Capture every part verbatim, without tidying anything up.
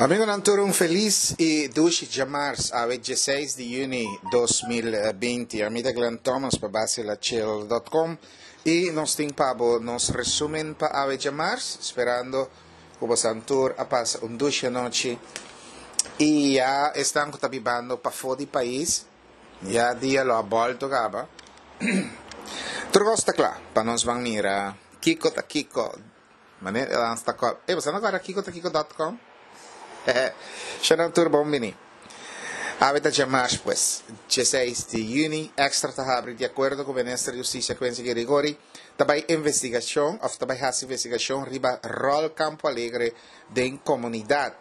Amigonan tur un felis i dushi djamars awe diesseis di yüni dos mil binti. Ami ta Glenn Thomas pa Basilachill dot com i nos tin pa bo nos resumen pa awe djamars, sperando ku bosan tur a pasa un dushi anochi i ya esnan ku ta bibando pafó di pais ya dia lo a bòlto kaba. Tur kos ta kla pa nos ban mira kiko ta kiko. Manera nan sta kòrda. Ey, boso no kòrda kiko ta kiko dòt kòm? Shana tur bon bini. Awe ta djamars pues, diesseis di yüni, Extra ta habri di akuerdo ku Minister di Hustisia Quincy Girigorie ta bai investigashon òf ta bai hasi investigashon riba ròl Campo Alegre den komunidat.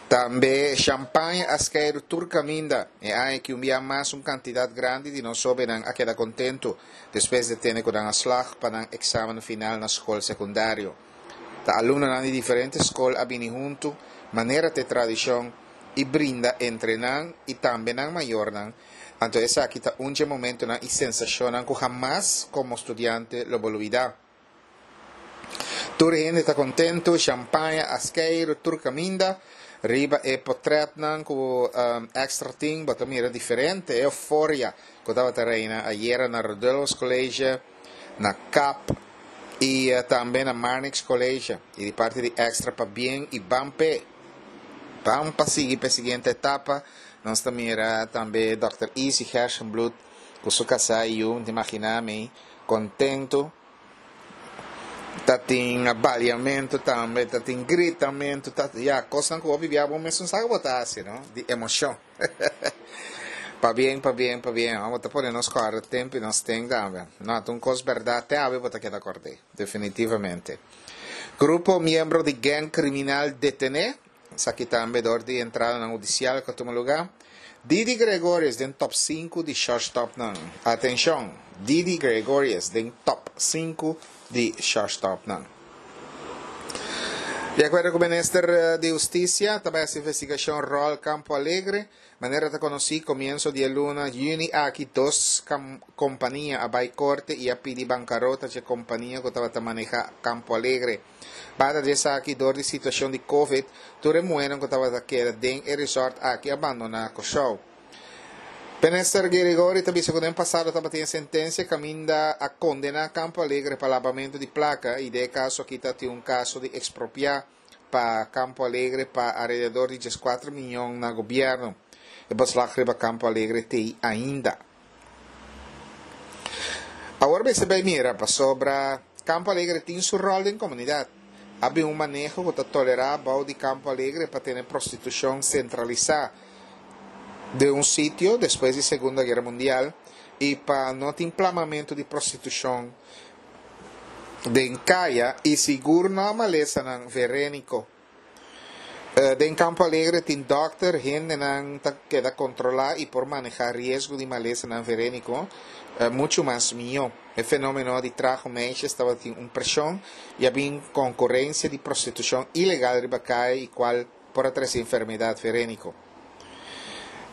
Tambe shampaña a skeiru tur kaminda. E aña ki un bia mas un kantidat grandi di nos hóbennan a keda kontentu despues di tene ku nan a slag pa nan eksamen final na skol sekundario. Ta alumnonan di diferente skol a bini huntu, manera ta e tradishon, i brinda entre nan i tambe nan mayornan, anto esaki ta un dje momentunan i sensashonnan ku hamas komo studiante lo bo lubidá. Tur hende ta kontentu, shampaña a skeiru tur kaminda. Riba e potrètnan ku Extra tin bo ta mira diferente e euforia ku tabata reina ayera na Rodulfus College, na Kap i tambe na Marnix College. I di parti di Extra pabien i ban p'e. Ban pa sigui p'e siguiente etapa. Nos ta mira tambe Dòkter Izzy Gerstenbluth ku su kasá i yu, mi ta imaginá mi, kontentu. Ta tin baliamentu tambe, ta tin gritamentu, ta, ya, kosnan ku hopi bia bo mesun sa ku bo ta hasi, no? Di emoshon. Pabien, pabien, pabien. Bo ta pone nos kòrda tempu i nos ten tambe. No, ta un kos bèrdat, te awe bo ta keda kòrd'é, definitivamente. Grupo miembro di gèng kriminal detené, esaki tambe dor di entradanan hudisial ku a tuma lugá. Didi Gregorius den top sinku di shortstopnan. Atenshon! Didi Gregorius den top sinku di shortstopnan. Di akuerdo ku Minister di Hustisia ta bai hasi investigashon ròl Campo Alegre. Manera ta konosí komienso di e luna yüni aki dos kompania a bai korte i a pidi bankarota dje kompania ku tabata manehá Campo Alegre. Banda di esaki, dor di situashon di Covid, tur e muhénan ku tabata keda den e resort aki a bandoná Kòrsou. Minister Girigorie ta bisa ku den pasado tabatin e sentensia kaminda a kondená Campo Alegre pa labamentu di plaka i den e kaso aki ta tin un kaso di ekspropiá pa Campo Alegre pa alrededor di dieskuater miyon na gobièrnu. E beslag riba Campo Alegre t'ei ainda. Awor mester bai mira pasobra Campo Alegre tin su ròl den komunidat. A bin un maneho ku ta tolerá bou di Campo Alegre pa tene prostitushon sentralisá den un sitio despues di Segunda Guera Mundial i pa no tin plamamentu di prostitushon den kaya i sigur no a malesanan veréniko. Den Campo Alegre tin dòkter, hendenan ta keda kontrolá i por manehá riesgo di malesanan veréniko muchu mas mihó. E fenómeno di trago meisjes tabatin un preshon i a bin konkurensia di prostitushon ilegal riba kaya i kual por a trese enfermedat veréniko.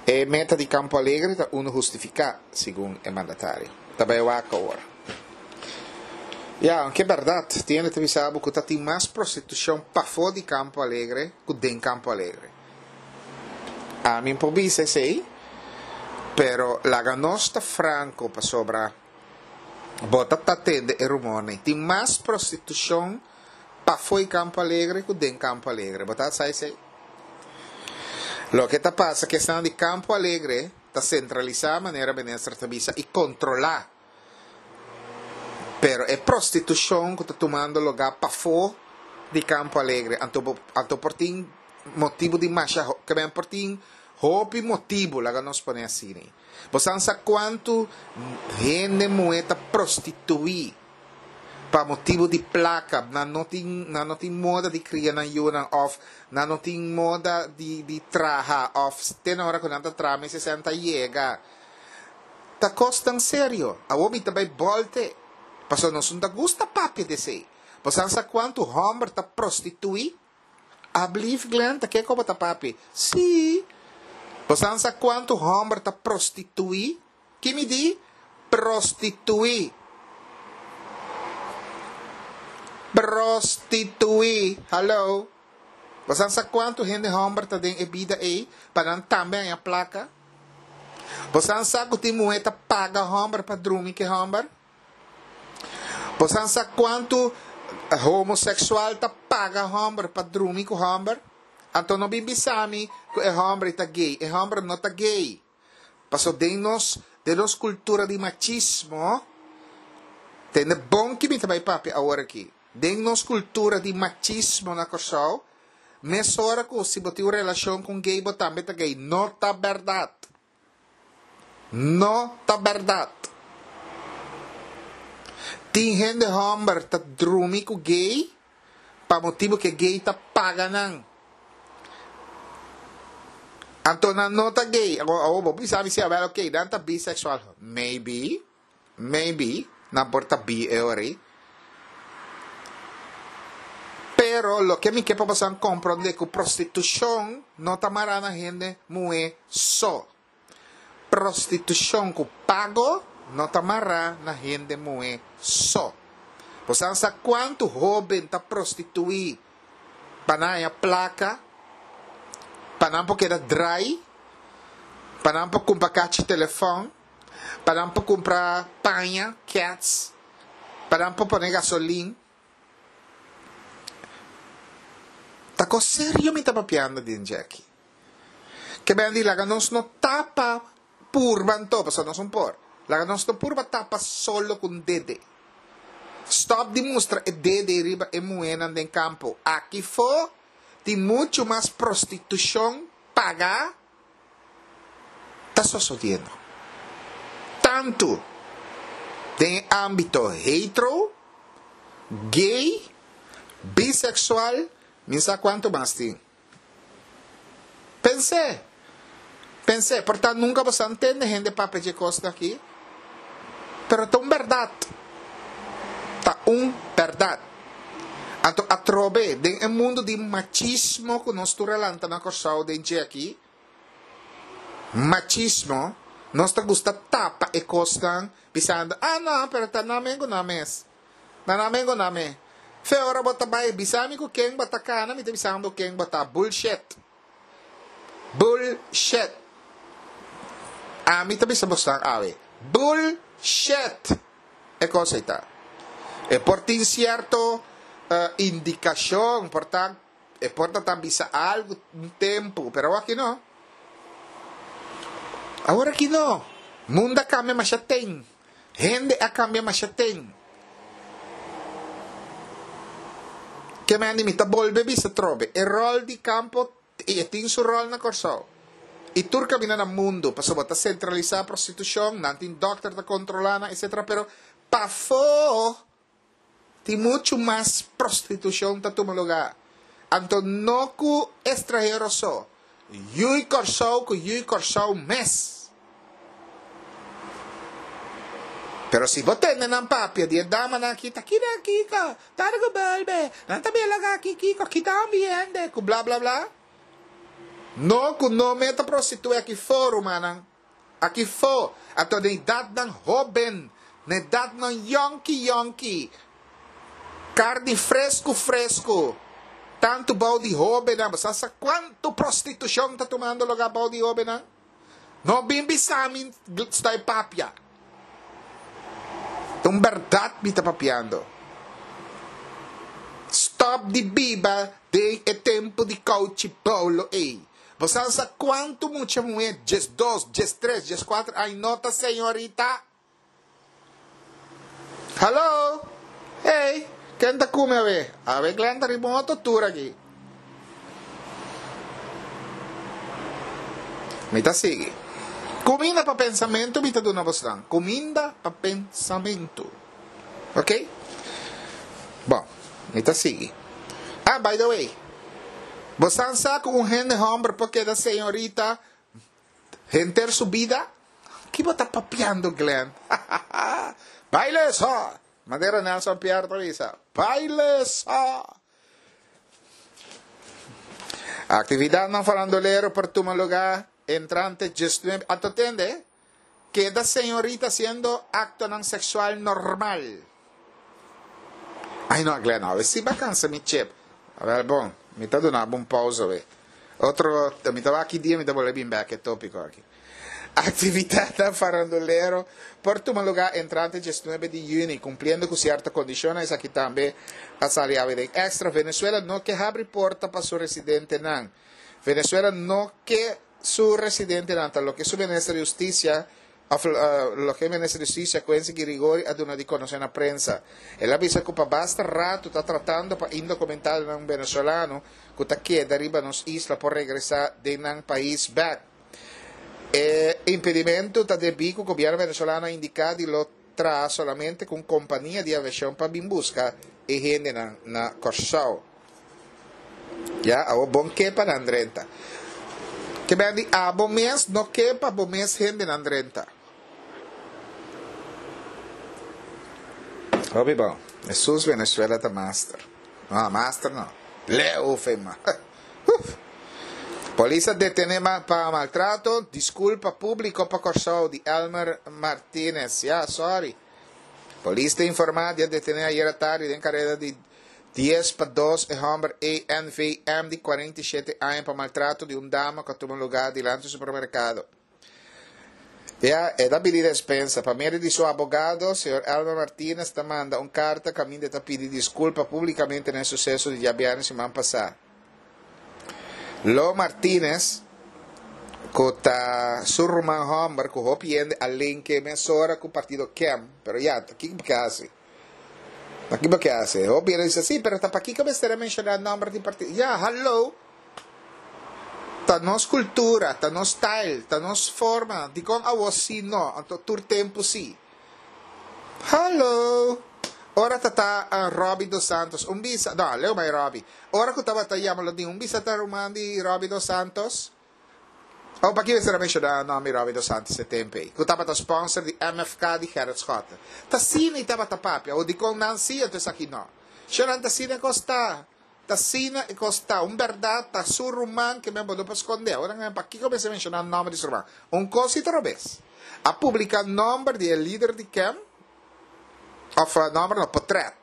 E meta di Campo Alegre ta unu hustifiká, segun e mandatario. Ta bai wak awor. Ya, aunke bèrdat, tin hende ta bisa bo ku ta tin mas prostitushon pafó di Campo Alegre ku den Campo Alegre. Ami por bisa esei, pero laga nos ta franko pasobra bo ta ta tende e rumornan. Tin mas prostitushon pafó di Campo Alegre ku den Campo Alegre. Bo ta sa esei? Loke ta pasa ku esnan di Campo Alegre ta sentralisá manera minister ta bisa i kontrolá. Pero e prostitushon ku ta tumando lugá pafó di Campo Alegre anto bo anto por tin motibu di masha ke men por tin hopi motibu laga nos pone asina. Bo san sa kuantu hende muhé ta prostituí pa motibu di plaka, nan no tin nan no tin moda di kria nan yunan òf nan no tin moda di di traha òf te na ora ku nan ta traha mester esei nan ta yega. Ta kos tan serio. Awor mi ta bai bòlte pasobra nos no ta gusta papia di esei. Bo san sa kuantu hòmber ta prostituí? Ablief Glen, ta kiko bo ta papia? Sí! Bo san sa kuantu hòmber ta prostituí? Ki mi di? Prostituí. Prostituí. Hallo. Bo sa kuantu hende hòmber ta den e bida ei, pa nan tambe haña plaka? Bo sa ku tin muhé ta paga hòmber pa drumi ku hòmber? Bo sa kuantu homoseksual ta paga hòmber pa drumi ku hòmber? Anto no bin bisami ku e hòmber ta gay. E hòmber no ta gay. Paso den nos, den nos kultura di machismo, tende bon ki mi ta bai papia awor aki. Den nos kultura di machismo na Kòrsou, mesora ku si bo tin un relashon ku gay, bo tambe ta gay. No ta bèrdat. No ta bèrdat. Tin hende hòmber ta drumi ku gay, pa motibu ku gay ta paga nan. Anto nan no ta gay. Oh, bo sabi si well, okay, nan ta bisexual. Maybe, maybe, nan por ta bi e ora. Pero loke mi ke pa boso komprondé ku prostitushon no ta mará na hende muhé so. Prostitushon ku pago no ta mará na hende muhé so. Bo sa kuantu hóben ta prostituí pa nan haña plaka, pa nan por keda drai, pa nan por kumpra kachi telefòn, pa nan por kumpra paña, cats, pa nan por pone gasolin. Ta kos serio mi ta papiando den Jackie. Ke men di laga nos no tapa purba anto, pasobra nos no por. Laga nos no purba tapa solo ku dede. Stop di mustra e dede riba e muhénan den kampo. Aki fo tin muchu mas prostitushon pagá ta sosodiendo. Tantu den ámbito hetero, gay, biseksual, mi sa kuantu mas tin. Pens'é. Pens'é. Por tantu, nunka bo a tende hende papia di kos aki. Pero ta un bèrdat. Ta un bèrdat. Anto atrobe, den e mundu di machismo ku nos tur a lanta na Kòrsou den aki, machismo, nos ta gusta tapa e kosnan, bisando, ah no, pero ta nan mes ku nan mes. Ta nan mes ku nan mes. Fe ora bo ta bai, bisami ku ken bo ta kana, mi ta bisando ken bo ta. Bullshit. Bullshit. Ami ta bisa boso awe. Bullshit. E kos ei ta. E por tin sierto uh, indikashon, por ta, e por ta bisa algu un tempu, pero aki no. Awor aki no. Mundu a kambia masha ten. Hende a kambia masha ten. Ke men mi ta bolbe bisa trobe. E ròl di Campo e tin su ròl na Kòrsou. I tur kaminda na mundu, pasobra ta sentralisá prostitushon, nan tin dòkter ta kontrolá, et cetera. Pero pafó tin muchu mas prostitushon ta tuma lugá. Anto no ku estranhero so. Yu'i Kòrsou ku yu'i Kòrsou mes. Pero si bo tende nan papia di dama nan aki, ta kina kiko, targo belbe, nan ta bela aki kiko, kita ambiente, ku bla bla bla. No ku no me ta prostituí aki fo, rumannan. Aki fo. Anto na edatnan hóben, na edatnan yònki yònki. Karni fresku fresku. Tantu bou di hóbennan, bo sa kuantu prostitushon ta tumando lugá bou di hóbennan? No bin bisami stòi papia. Un bèrdat mi ta papiando. Stop di biba den e tempu di kouchi bolo ei. Bo sa kuantu mucha muhé, diesdos, diestres, dieskuater, aña no ta señorita? Hello? Hey, ken ta ku mi awe? Awe Glenn ta riba un otro tour aki. Mi ta sigui. Kuminda pa pensamentu mi ta duna boso. Kuminda pa pensamentu. Ok? Bon, mi ta sigui. Ah, by the way. Bo sa ku un hende hòmber por keda señorita henter su bida? Ki bo ta papiando, Glenn? Baile so! Manera Nelson Pierre ta bisa. Baile so! Aktividatnan farandulero por tuma lugá entrante diesnuebe. Anto tende, keda señorita hasiendo aktonan seksual normal. Ai no, Glenn, no, si bo a kansa mi chip. Awèl bon, mi ta duna bo un pousa we. Otro, mi ta wak ki dia mi ta bolbe bin bèk e tópiko aki. Aktividatnan farandulero por tuma lugá entrante diesnuebe di yüni, kumpliendo ku sierto kondishonnan. Esaki tambe a sali awe den Extra. Venezuela no ke habri porta pa su residentenan. Venezuela no ke su residentenan, ta loke su minister di Hustisia, òf loke minister di Hustisia Quincy Girigorie a duna di konosé na prensa. El a bisa ku pa basta ratu ta tratando pa indokumentadonan venezolano ku ta keda riba nos isla por regresá den nan pais bèk. E impedimentu ta debí ku gobièrnu venezolano a indiká di lo traha solamente ku un kompania di aviashon pa bin buska e hendenan na Kòrsou. Ya, awor bon ke pa nan drenta. Ke ben di abo mes no ke pa bo mes hendenan drenta. Hopi bon. Hesus Venezuela ta master. No, master no. Leu fe ma. Uf. Polis a detene pa maltrato. Disculpa publico pa Corsou di Elmer Martinez. Ya, sorry. Polis ta informa di a detene ayera tardi den careda di Dies pa dos e hòmber A N V M di kuarenta i shete aña pa maltrato di un dama ku a tuma lugá dilanti supermerkado. Ya e ta pidi despensa. Pa medio di su abogado, señor Elmer Martinez ta manda un karta kaminda e ta pidi diskulpa públikamente na e suseso di djabièrnè siman pasá. Lo Martinez, ku ta su ruman hòmber ku hopi hende a linke mesora ku partido Kem, pero ya, ta kiko bo ke hasi? Pakiko bo ke hasi? Hopi hende bisa, sí, pero ta pakiko mester a menshoná nòmber di partido? Ya, hallo! Ta nos kultura, ta nos style, ta nos forma. Dikon awor sí no, anto tur tempu sí? Hallo! Ora ta ta Robby dos Santos, un bisa, no, leu bai Robby. Ora ku tabata yama lo di un bisa ta ruman di Robby dos Santos. Oh, paki mester a menshoná nòmber Robby dos Santos e tempu ei, ku tabata sponsor di M F K di Gerrit Schotte. Ta asina i tabata papia, o dikon nan sí anto esaki nò. Shornan ta asina e kos ta. Ta asina e kos ta. Un bèrdat ta su ruman ke men bo no por skondé. Ora nan pakiko mester menshoná nòmber di su ruman? Un kos si ta robes. A publiká nòmber di e lider di kem, òf nòmber no, potrèt.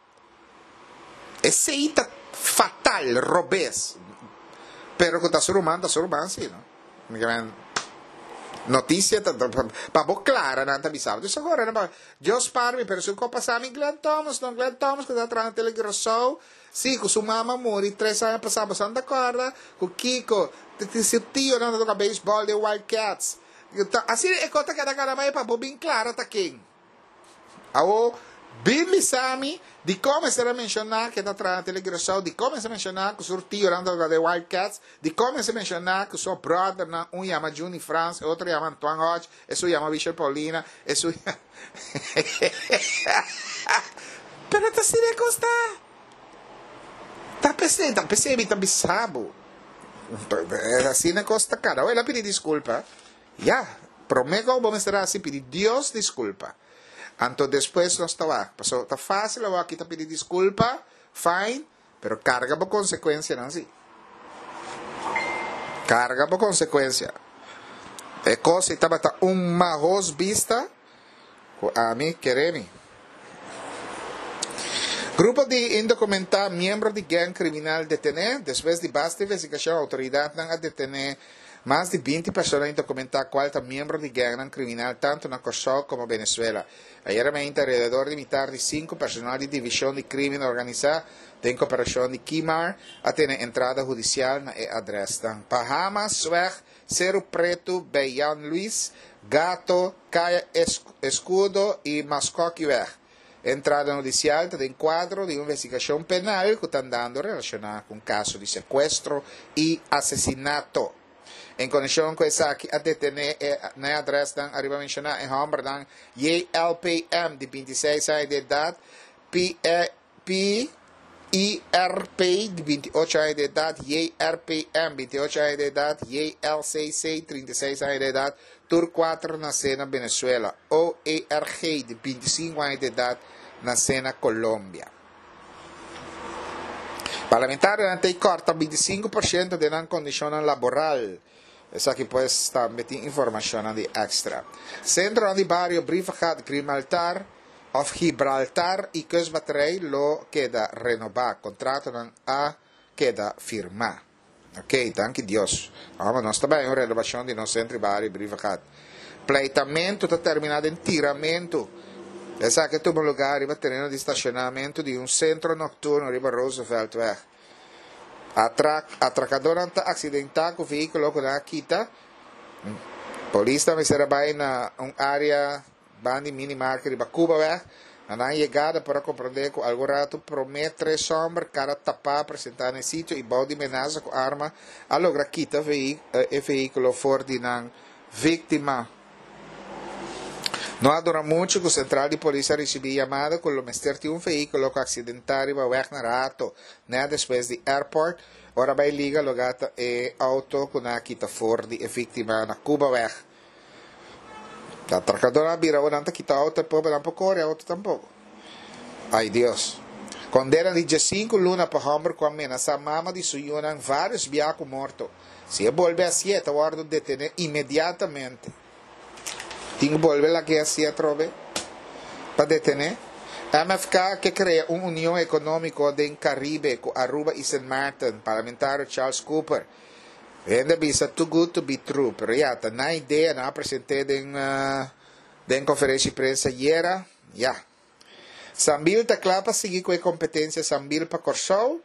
Esei ta fatal, robes. Pero ku ta su ruman, ta su ruman si, no? Mi ke men notisia ta pa bo klara nan ta bisa bo. Dus agora nan pa Dios spar mi, pero si un kos pasa mi Glenn Thomas no, Glenn Thomas ku ta traha na Tele Curaçao, si ku su mama muri tres aña pasa, bo san ta kòrda ku Kiko, su tionan ta toka beisbòl den Wild Cats. Asina e kos ta keda kana mai pa bo bin klara ta ken. Awor, bin bisa mi, dikon mester a menshoná ku e ta traha na Tele Curaçao? Dikon mester a menshoná ku su tionan ta toka den Wild Cats? Dikon mester menshoná ku su bròdernan, un yama Juni Frans, e otro yama Antoine Hodge, esun yama Michel Paulina, esun yama. Pero ta asina e kos ta. Ta p'esei, ta p'esei mi ta bisa bo. Asina e kos ta kada. Awor el a pidi diskulpa. Ya, promé ku bo mester hasi pidi Dios diskulpa. Anto despues nos ta wak. Pasobra ta fásil awor aki ta pidi diskulpa, fine, pero karga bo konsekuensianan sí. Karga bo konsekuensia. E kos ei tabata un mahos bista ku ami kere mi. Grupo di indokumentá miembro di gèng kriminal detené. Despues di basta investigashon outoridatnan a detené mas di binti persona indokumentá kual ta miembro di gèngnan kriminal tantu na Kòrsou komo Venezuela. Ayera meinta alrededor di mitar di sinku personal di Divishon di Krimen Organisá den koperashon di Kimar a tene entrada hudisial na e adrèsnan Bahamasweg, Seru Pretu, bij Jan Luis, Gato, Kaya Escudo i Maskokiweg. E entrada hudisial ta den kuadro di un investigashon penal ku ta andando relashoná ku un kaso di sekuestro i asesinato. En konekshon ku esaki a detené e na e adrèsnan ariba menshoná e hòmbernan J L P M di binti i seis aña di edat, P P I R P di binti i ocho aña di edat, J R P M binti i ocho aña di edat, J L C C trinta i seis aña di edat, tur kuater nasé na Venezuela, O E R G di binti i sinku aña di edat, nasé na Colombia. Parlamentarionan ta kòrta binti i sinku por shento den nan kondishonnan laboral. Esaki pues tambe tin informashonnan di Extra. Sentronan di bario Brievengat, Grimaltar òf Gibraltar i Kustbatterij lo keda renobá. Kontratonan a keda firmá. Ok, danki Dios. Amo, nos tambe un renovashon di nos sentro di bario Brievengat. Pleitamentu ta terminá den tiramentu. Esaki a tuma lugá riba tereno di stashonamentu di un sentro nokturno riba Rooseveltweg. Atrak, atrakadónan ta aksidentá ku vehíkulo ku nan a kita. Polis ta mester a bai na un área banda di minimarket riba Cubaweg. Na nan yegada por a komprondé ku algun ratu promé tres hòmber kara tapá a presentá na e sitio i bou di menasa ku arma a logra kita e vehíkulo for di nan víktima. No a dura muchu ku sentral di polis a risibí yamada ku lo mester tin un vehíkulo ku a aksidentá riba wèg na Rato, nèt despues di airport. Ora bai liga lo gata e auto ku nan a kita for di e víktima na Cubaweg. Atracadornan a bira ora nan ta kita auto e pober nan por core auto tampoco. Ay Dios. Condena di diescinco luna pa homber cu a menasa mama di su yunan varios bia cu morto. Si e bolbe hacié e ta wordo detene inmediatamente. Tin cu bolbe lag'é hacié atrobe pa detene. M F K ke crea un union economico den Caribe cu Aruba y Sint Maarten, parlamentario Charles Cooper. Hende bisa too good to be true, pero ya, ta nan idea, nan a present'é den den conferencia di prensa ayera, ya. Sambil ta cla pa sigui cu e competencia Sambil pa Corsou.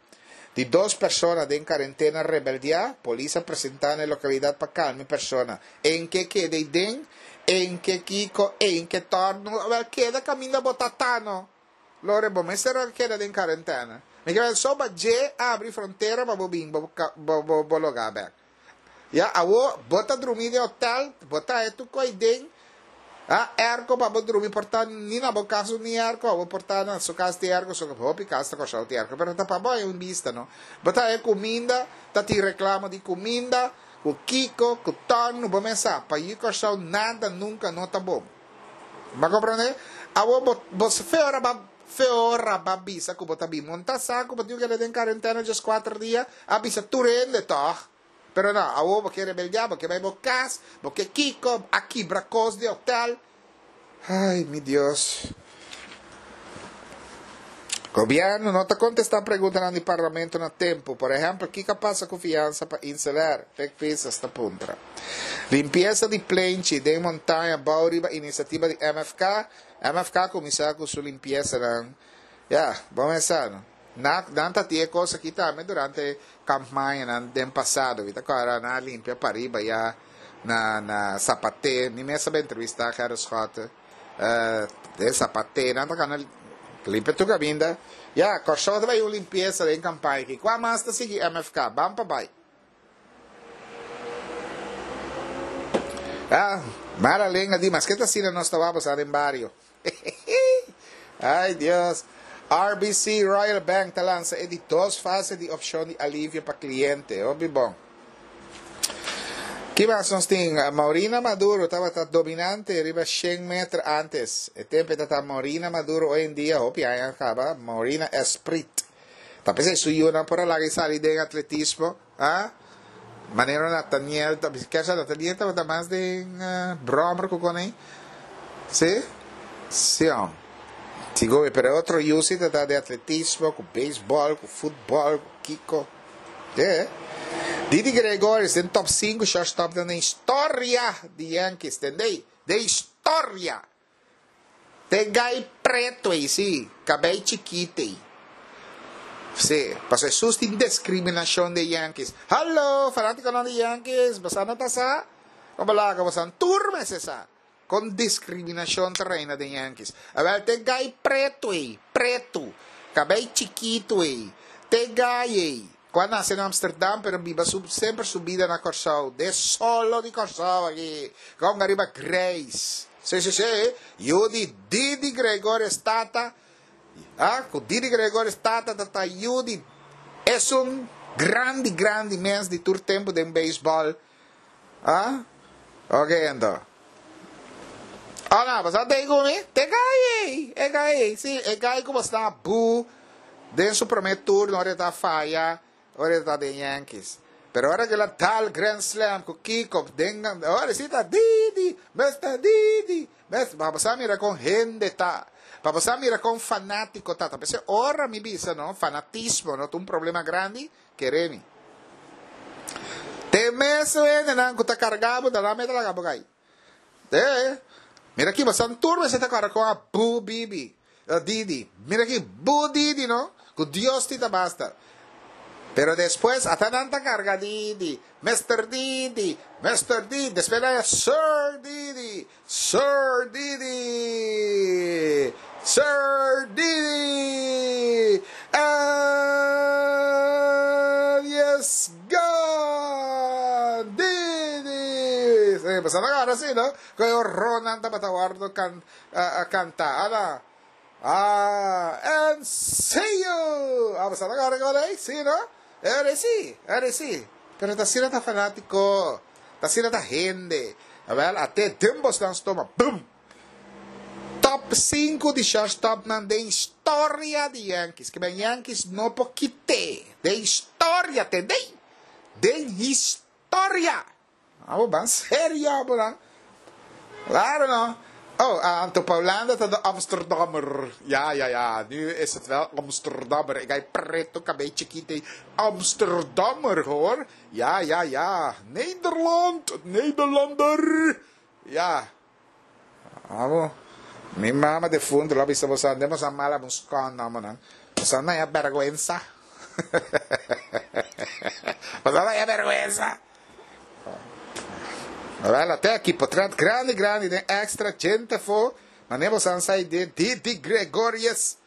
Di dos persona den cuarentena rebeldia, polis a presenta na e localidad pa calma e persona. En ke keda den, en ke kiko, en ke torno, wel keda caminda bo ta tano. Lore, bo mester a keda den cuarentena. Mi ke so ba dje abri frontera pa bo bin bo bo bo bo lugá bek. Ya, awo bo ta drumi den hotel, bo ta e tur koi den, ah, airco pa bo drumi por ta ni na bo kas ni airco, bo por ta na su kas tin airco, so hopi kas ta Kòrsou tin airco, pero ta pa bo hay un bista, no? Bo ta e kuminda, ta tin reklamo di kuminda, ku kiko, ku tòrnu, bo mes sa, pa yu Kòrsou nada nunka no ta bon. Bo a komprondé? Awo bo bo fe ora ba fe ora ba bisa ku bo ta bin monta sa ku bo tin ku keda den karentena djes kuater dia, a bisa tur hende tòg. Pero no, awo bo ke rebeldiá, bo ke bai bo kas, bo ke kiko, a kibra kos di hotel. Ay, mi Dios. Gobièrnu no ta kontestá preguntanan di Parlamento na tempu. Por ehèmpel, kiko a pasa ku fiansa pa InselAir? Pek Pisas ta puntra. Limpiesa di plenchi den montaña bou riba inisiativa di M F K. M F K a kuminsá ku su limpiesanan. Ya, bo mesa no. Na, nan ta tin e kos aki tambe durante kampañanan den pasado. Mi ta kòrda nan a limpia pariba ya na na Sapaté. Mi mes a bai entrevistá Gerrit Schotte. Uh, den Sapaté nan ta kana limpia tur kaminda. Ya, Kòrsou ta bai un limpiesa den kampaña aki. Kua mas ta sigui M F K? Ban pa bai. Ah, mala lenga di, maske ta asina nos ta wak den bario. Ay Dios. R B C Royal Bank ta lansa e di dos fase di opshon di alivio pa kliente. Hopi bon. Ki mas nos tin? Maurina Maduro tabata dominante riba shen meter antes. E tempu ta Maurina Maduro, hoy en dia, hopi aña kaba, Maurina Esprit. Ta pensé su yunan por a laga sali den atletismo, ah? Manera Nathaniel, ke Nathaniel tabata mas den uh, brommer ku kuné? Si? Si, oh. Sigo, pero otro yu si ta di atletismo, ku beisbòl, ku futbòl, ku kiko. Yeah. Didi Gregorius den top sinku shortstop den historia di Yankees, tende? De historia. Te gai pretu ei, si, kabei chikitu ei. Si, paso Jesus tin diskriminashon di Yankees. Hallo, fanátiko di Yankees, bo no ta sa? Komo laga, bo tur mester sa. Kon diskriminashon ta reina di Yankees. Awel, te gai pretu ei, pretu, kabei chikitu ei, te gai ei. Ku a nase na Amsterdam, pero biba su, semper su bida na Kòrsou. De solo di Kòrsou aki. Kon ariba Grace. Si, si, si. Yu di Didi Gregorius tata. Ah, ku Didi Gregorius tata tata yu di e un grandi grandi mens di tur tempu den beisbòl. Ah? Ok, anto. Ah, no, bo ta ku mi? Te gai, e gai, si, e gai ku ta bu den su promé turno, ora ta faya, ora ta den Yankees. Pero ora ku el a dal Grand Slam ku kiko, den, ora si ta Didi, Mister Didi, Mister Pa bo mira kon hende ta. Pa bo mira kon fanátiko ta. Ta p'esei ora mi bisa, no, fanatismo, no, un problema grandi. Kere mi. Te mesun hendenan ku ta karga bo, ta nan mes ta laga bo kai. Te, mira aki, boso tur mester ta kòrda kon a bu Bibi, Didi. Mira aki, bu Didi no, ku Dios tin ta basta. Pero despues ata nan ta karga Didi, Mister Didi, Mister Didi, despues nan ya Sir Didi, Sir Didi, Sir Didi, and yes gone, Didi. Sí, pasobra nan kòrda así, no? Ku e horornan tabata wòrdu kan, kantá. Ana. Ah, and see you! Ah, boso ta kòrda kòrda ei? Sí, no? E ora ei sí, e ora ei sí. Pero ta asina ta fanátiko, ta asina ta hende. Awèl, ate den bosnan stoma, bum! Top sinku di shortstopnan den historia di Yankees. Ke ben Yankees no por kit'é. Den historia, tendei? Den historia! Abo ban serio abo nan. Claro no. Oh, anto pa Hulanda ta de Amsterdammer. Ja, ja, ja, nu is het wel Amsterdammer. Ik ga preto kabei chikito. Amsterdammer hoor. Ja, ja, ja. Nederland, Nederlander. Ja. Abo, mi mama defunto lo a bisa boso, ande boso a mala bo skon amo nan. Boso a naya bergwensa. Boso a naya bergwensa. Wel, ate aki potret grandi grandi den extra djente afo, mane boso a sa idea Didi Gregorius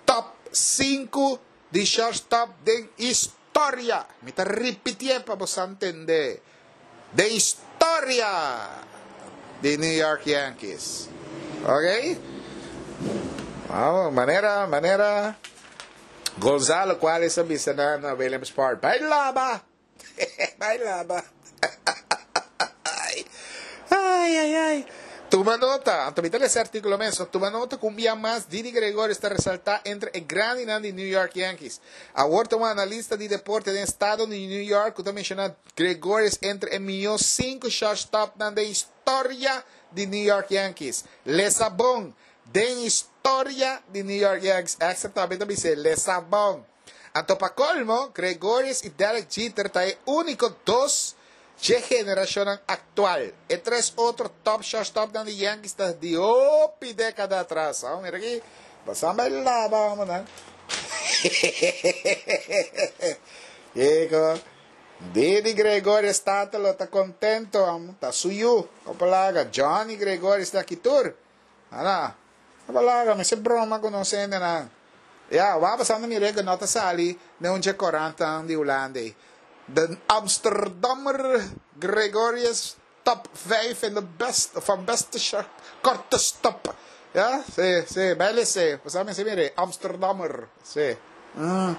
top sinku di shortstop den historia. Mi ta ripitié pa boso ntende. Den historia di New York Yankees. Ok? Vamos, manera, manera Gonzalo Cuales a bisa na, na Williams Park. Bai laba! Bai laba! Ai, ai, ai. Tuma nota, anto mi ta lesa e artíkulo mes, so tuma nota ku un bia mas Didi Gregorius ta resaltá entre e grandinan di New York Yankees. Awor ta un analista di deporte den estado di New York ku ta menshoná Gregorius entre e mihó sinku shortstopnan den historia di New York Yankees. Lesa bon, den historia di New York Yankees. Extra tambe ta bis'é, lesa bon. Anto pa kolmo, Gregorius i Derek Jeter ta e úniko dos dje generashonnan aktual. E tres otro top shortstopnan di Yankees ta di hopi dékada atras. Awor mira aki, boso a bai laba homonan. Kiko? Didi Gregorius tata lo ta kontento, amo. Ta su yu. Kopo laga. Johnny Gregorius ta aki tur. Ana. Kopo laga, mester broma ku nos hendenan. Ya, wak pasando mi reko no ta sali den un dje korantan di Hulanda ei. De Amsterdammer Gregorius top vijf in de best van beste korte stop. Ya, si, si, bai lese. Pasá mester mira ei, Amsterdammer, si. Mm.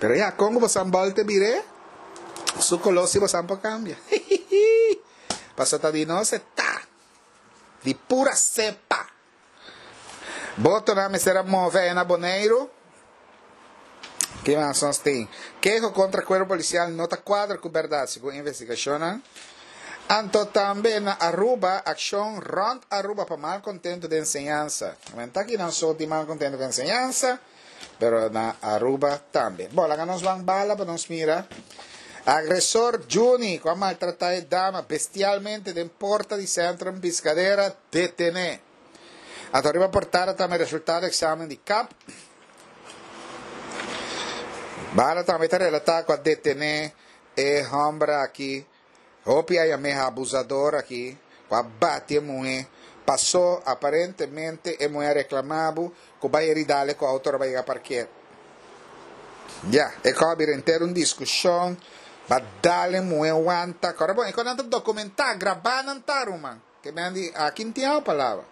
Pero ya, kon ku bosan bòlte bir'é, su koló si bosan por kambia. Pasobra ta di nos e ta. Di pura sepa. Botonan mester a move aya na Boneiru. Ki mas nos tin? Keho kontra kuerpo polisial no ta kuadra ku bèrdat, segun investigashonnan. Anto tambe na Aruba, akshon rònt Aruba pa malkontentu den enseñansa. Men ta kinan so tin malkontentu ku enseñansa, pero na Aruba tambe. Bo, laga nos ban bala pa nos mira. Agresor Juni, ku a maltratá e dama bestialmente den porta di Centrum Piscadera, detené. Anto riba portada tambe resultado examen di kap. Bala tambe ta relatá ku a detené e hòmber aki. Hopi a yam'é abusador aki, ku a bati e muhé. Pasó aparentemente e muhé a reklamá bo ku bai heridale ku outo ora bai yega parker. Ya, e kò a bira henter un diskushon, ba dal e muhé wanta. Kòrda bon, e kònan ta dokumentá, grabá nan ta, ruman. Ke men di, aki n'tin awa palabra.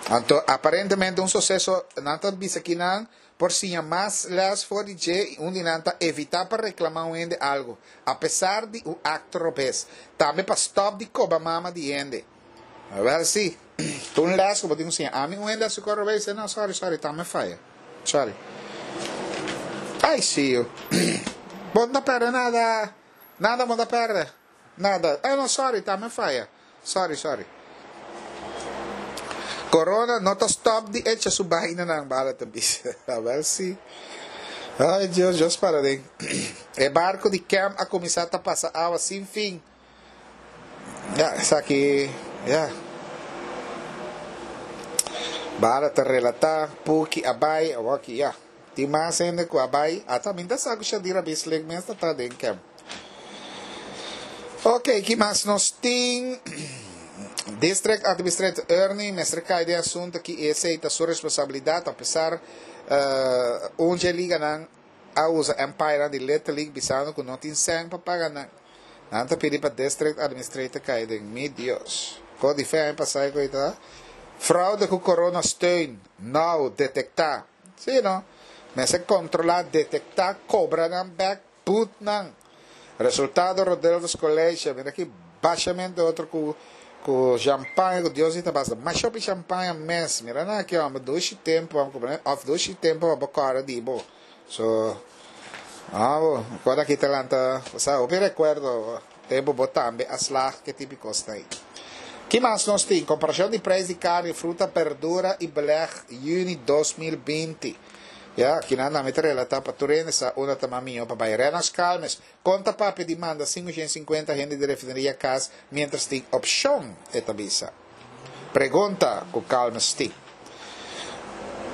Anto, aparentemente un suseso, nan ta bisa ki nan por siña mas les for di dje i un di nan ta evitá pa reklamá un hende algu, apesar di un akto robes. Tambe pa stòp di koba mama di hende. Wèl sí, ta un les ku bo tin ku siña. Ami un hende a hasi kos robes, no, sorry, sorry, ta mi faya. Sorry. Ai, sí, yu. Bo no ta pèrdè nada. Nada bo no ta pèrdè. Nada. Eh no, sorry, ta mi faya. Sorry, sorry. Corona no ta stop di echa su baina nan bala ta bisa. Wel si. Ay Dios, Dios para den. E barco di Cam a cuminsa ta pasa awa sin fin. Ja, esaki, ja. Bala ta relata, Puki a bay, awaki, ja. Tin mas hende cu a bay, ata mi ta sa cu Shadira Bisling mes ta ta den Cam. Ok, ki mas nos tin? District Administrator Ernie mester cay den asunto aki, esey ta su responsabilidad, apesar uh, un dje liganan a usa Empire di Little League bisando cu no tin cen pa paga nan. Nan ta pidi pa District Administrator cay den. Mi Dios. Co di fe pasa cu ta? Fraude cu corona steun. Nou, detecta. Si, no? Mester controla, detecta, cobra nan back, put nan. Resultado Rodelves College, mira aki bashamento otro cu cu champagne, cu Dios ta basta. Mas shopi champagne mes, mira na aki, homem, dushi tempo, of dushi tempo, pa cara di bo. So, ah, bo, quando aki talanta, sa, o recuerdo, tempo bo tambe a slag que típico está aí. Ki mas nos tin? Comparacion di prijs di carni, fruta, berdura y beleg, juni dos mil binti. Ja, aki nan a mete relata pa tur hende sa unda ta mas miho pa bay. Renas Calmes, conta papia di manda cinco shen cincuenta hende di refineria cas mientras tin opcion, e ta bisa. Pregunta cu Calmes tin.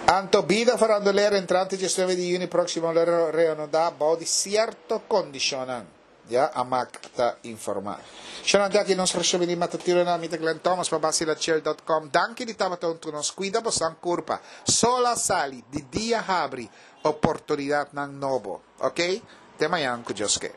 Anto bida farandulero entrante diesnuebe di juni proximo lo reanuda bou di cierto condicionnan. Ja, AMAC ta informa. Xanante aki nos resumen di matutino na mi ta Glenn Thomas pa basilachill punto com. Danki di tabata hunto nos. Cuida bo curpa. Solo a sali, di dia habri, oportunidadnan nobo. Ok? Te mañan cu Dios kier.